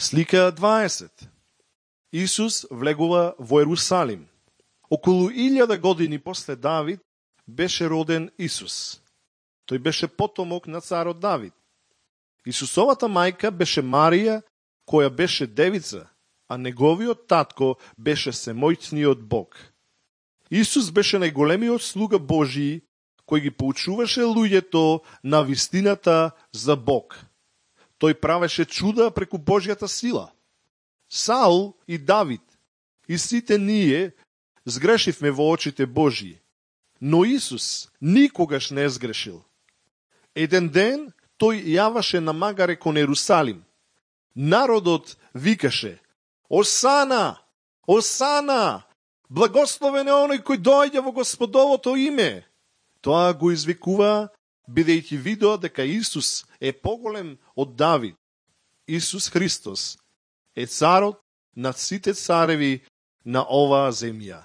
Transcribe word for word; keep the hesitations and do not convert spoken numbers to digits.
Слика дваесет. Исус влегува во Ерусалим. Околу илјада години после Давид беше роден Исус. Тој беше потомок на царот Давид. Исусовата мајка беше Марија, која беше девица, а неговиот татко беше семојцниот Бог. Исус беше најголемиот слуга Божии, кој ги поучуваше луѓето на вистината за Бог. Тој правеше чуда преку Божјата сила. Саул и Давид и сите ние сгрешивме во очите Божии, но Исус никогаш не сгрешил. Еден ден тој јаваше на магаре кон Ерусалим. Народот викаше: Осана! Осана! Благословен е оној кој доаѓа во Господовото име. Тоа го извикува бидејќи видоа дека Исус е поголем од Давид. Исус Христос е царот над сите цареви на оваа земја.